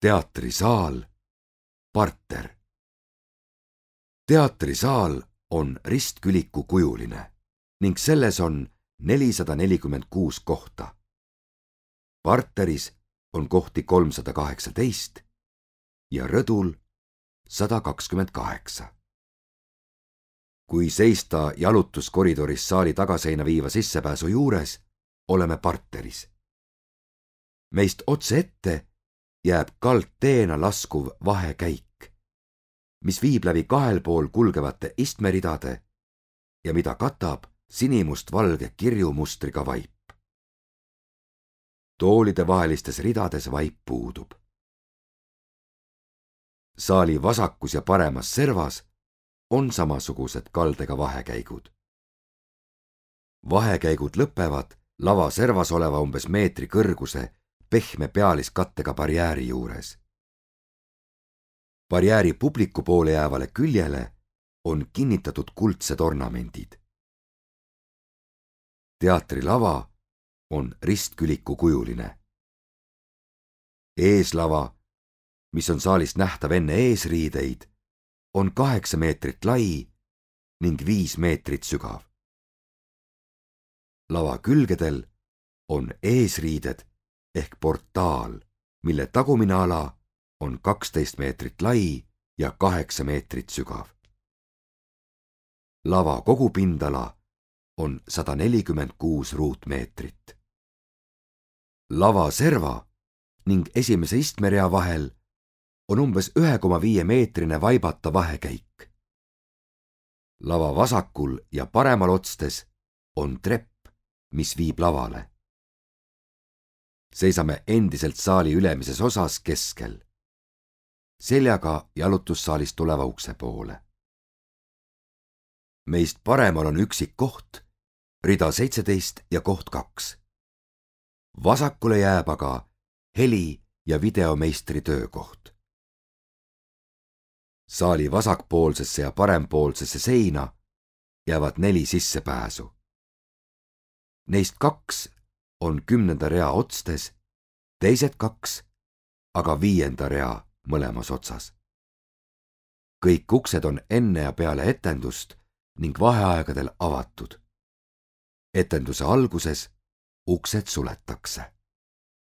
Teatrisaal, parter. Teatrisaal on ristküliku kujuline ning selles on 446 kohta. Parteris on kohti 318 ja rõdul 128. Kui seista jalutuskoridoris saali tagaseina viiva sissepääsu juures, oleme parteris. Meist otse ette jääb kaldteena laskuv vahekäik, mis viib läbi kahel pool kulgevate istmeridade ja mida katab sinimust-valge kirjumustriga vaip. Toolide vahelistes ridades vaip puudub. Saali vasakus ja paremas servas on samasugused kaldega vahekäigud. Vahekäigud lõpevad lava servas oleva umbes meetri kõrguse pehme pealiskattega barjääri juures. Barjääri publiku poole jäävale küljele on kinnitatud kuldsed ornamendid. Teatrilava on ristküliku kujuline. Eeslava, mis on saalist nähtav enne eesriideid, on 8 meetrit lai ning 5 meetrit sügav. Lava külgedel on eesriided ehk portaal, mille tagumine ala on 12 meetrit lai ja 8 meetrit sügav. Lava kogupindala on 146 ruutmeetrit. Lava serva ning esimese istmerea vahel on umbes 1,5 meetrine vaibata vahekäik. Lava vasakul ja paremal otstes on trepp, mis viib lavale. Seisame endiselt saali ülemises osas keskel, seljaga jalutussaalist tuleva ukse poole. Meist paremal on üksik koht, rida 17 ja koht 2. Vasakule jääb aga heli- ja videomeistri töökoht. Saali vasakpoolsesse ja parempoolsesse seina jäävad 4 sissepääsu. Neist 2 on 10. rea otstes, teised 2 aga 5. rea mõlemas otsas. Kõik uksed on enne ja peale etendust ning vaheaegadel avatud. Etenduse alguses uksed suletakse.